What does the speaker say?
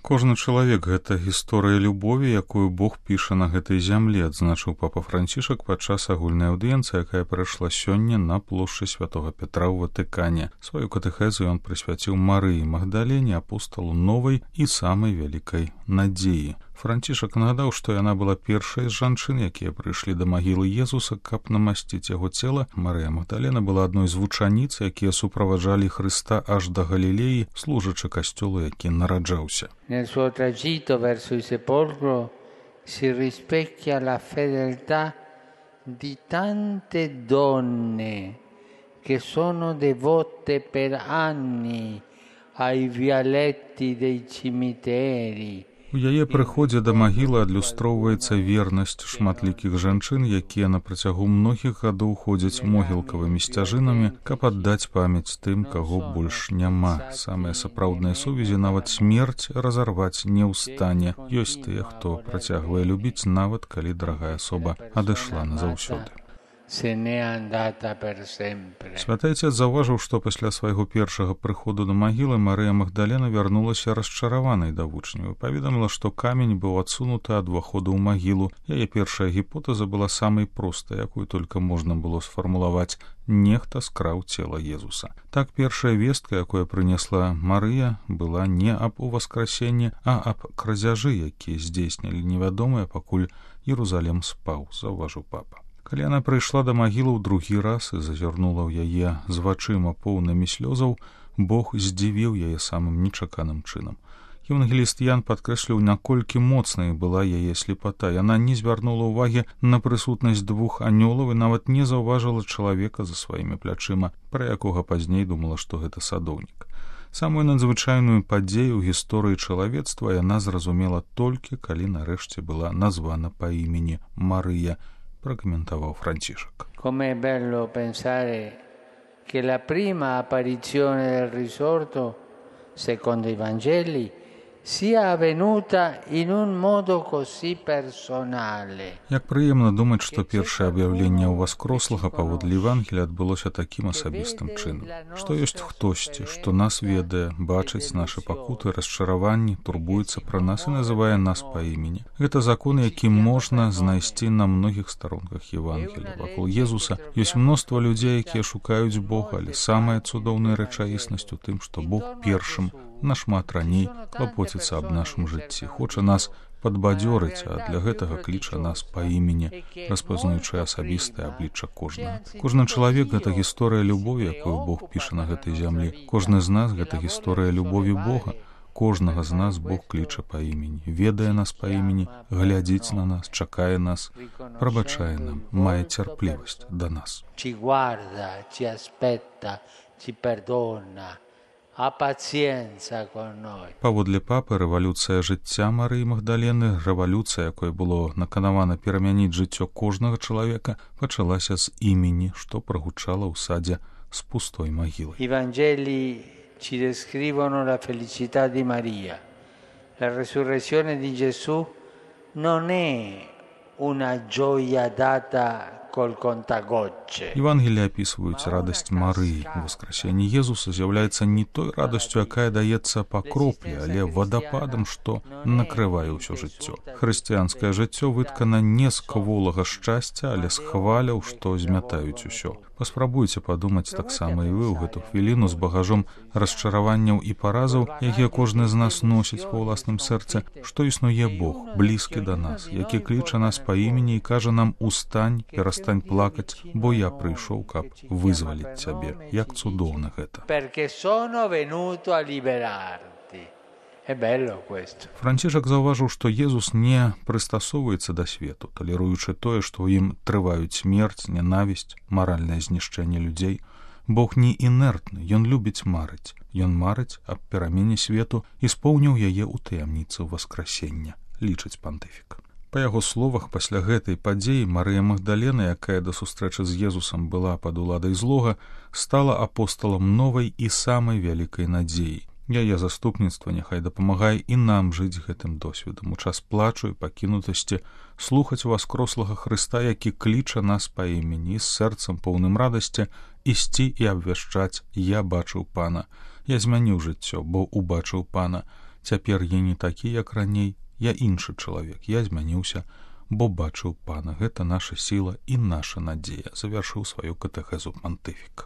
Кожны чалавек — гэта гісторыя любові, якую Бог піша на гэтай зямлі, адзначыў папа Францішак падчас агульнай аўдыенцыі, якая прайшла сёння на плошчы Святога Петра ў Ватыкане. Сваю катэхезу ён прысвяціў Марыі Магдалене, апосталу новай і самай вялікай надзеі. Францішак нагадаў, што яна была першай з жанчын, якія прыйшлі да магілы Езуса, каб намасціць яго цела. Марыя Магдалена была адной з вучаніц, якія суправаджалі Хрыста аж да Галілеі, служачы касцёлу, які нараджаўся. Nel suo tragitto verso il sepolcro si rispecchia la fedeltà di tante donne che sono devote per anni ai vialetti dei cimiteri. У яе прыходзе да магілы адлюстроўваецца вернасць шматлікіх жанчын, якія на працягу многіх гадоў ходзяць могілкавымі сцяжынамі, каб аддаць памяць тым, каго больш няма. Самыя сапраўдныя сувязі нават смерць разарваць не ў стане. Ёсць тыя, хто працягвае любіць, нават калі дарагая асоба адышла назаўсёды. Святы Отец заўважыў, што пасля свайго першага прыходу да магілы Марыя Магдалена вярнулася расчараванай да вучняў і паведаміла, што камень быў адсунуты ад уваходу ў магілу. Яе першая гіпотэза была самай простай, якую толькі можна было сфармулаваць: нехта скраў цела Езуса. Так першая вестка, якую прынесла Марыя, была не аб уваскрасенні, а аб крадзяжы, якія здзейснілі невядомыя, пакуль Єрусалем спаў, заўважыў папа. Калі яна прыйшла да магілы ў другі раз і зазірнула ў яе з вачыма поўнымі слёзаў, Бог здзівіў яе самым нечаканым чынам. Евангеліст Ян падкрэсліў, наколькі моцнай была яе слепата. Яна не звярнула ўвагі на прысутнасць двух анёлаў і нават не заўважыла чалавека за сваімі плячыма, пра якога пазней думала, што гэта садоўнік. Самую надзвычайную падзею ў гісторыі чалавецтва яна зразумела толькі, калі нарэшце была названа па імені Марыя, прокомментовал Францишек. Com'è bello pensare che la prima apparizione del risorto, secondo i Vangeli, sia avvenuta in un modo così personale. Як прыемна думаць, што першае аб'яўленне ўваскрослага паводле Евангелія адбылося такім асабістым чынам, што ёсць хтосьці, што нас ведае, бачыць нашы пакуты, расчараванні, турбуецца пра нас і называе нас па імені. Гэта закон, які можна знайсці на многіх старонках Евангелія. Вакол Езуса ёсць мноства людзей, якія шукаюць Бога, але самая цудоўная рэчаіснасць у тым, што Бог першым, нашмат раней клапоціцца аб нашым жыцці, хоча нас падбадзёрыць, а для гэтага кліча нас па імені, распазнаюючы асабістае аблічча кожнага. Кожны чалавек — гэта гісторыя любові, якую Бог піша на гэтай зямлі. Кожны з нас — гэта гісторыя любові Бога. Кожнага з нас Бог кліча па імені, ведае нас па імені, глядзіць на нас, чакае нас, прабачае нам, мае цярплівасць да нас. Ci guarda, ci aspetta, ci perdona. А пацієнца con noi. Паводле папы, рэвалюцыя жыцця Марыі Магдалены, рэвалюцыя, якой было наканавана перамяніць жыццё кожнага чалавека, пачалася з імені, што прагучала ў садзе з пустой магілай. I Vangeli ci descrivono la felicità di Maria. La resurrezione di Gesù non è una gioia data col contagocce. Евангелія апісваюць радасць Марыі. Воскресенне Езуса з'яўляецца не той радасцю, якая даецца па кроплі, але вадападам, што накрывае ўсё жыццё. Хрысціянскае жыццё выткана не з кволага шчасця, але з хваляў, што змятаюць усё. Паспрабуйце падумаць таксама і вы ў гэту хвіліну з багажом расчараванняў і паразаў, якія кожны з нас носіць ва ўласным сэрцы, што існуе Бог, блізкі да нас, які кліча нас па імені і кажа нам: «Устань, перастань плакаць, бо я прыйшоў, каб вызваліць цябе». Як цудоўна гэта. Perché sono venuto a liberarti. È bello questo. Францішак заўважыў, што Езус не прыстасоўваецца да свету, талеруючы тое, што ў ім трываюць смерць, нянавісць, маральнае знішчэнне людзей. Бог не інертны, ён любіць марыць. Ён марыць аб перамене свету і споўніў яе ў таямніцы воскресення, лічыць пантыфік. Па яго словах, пасля гэтай падзеі Марыя Магдалена, якая да сустрэчы з Езусам была пад уладай злога, стала апосталам новай і самай вялікай надзеі. Яе заступніцтва няхай дапамагае і нам жыць гэтым досведам у час плачу і пакінутасці, слухаць воскрослага Хрыста, які кліча нас па імені, з сэрцам поўным радасці ісці і абвяшчаць: «Я бачыў Пана, я змяніў жыццё, бо убачыў Пана. Цяпер я не такі, як раней, я іншы чалавек, я змяніўся, бо бачыў пана. Гэта наша сіла і наша надзея, завяршыў сваю катэхезу пантыфік.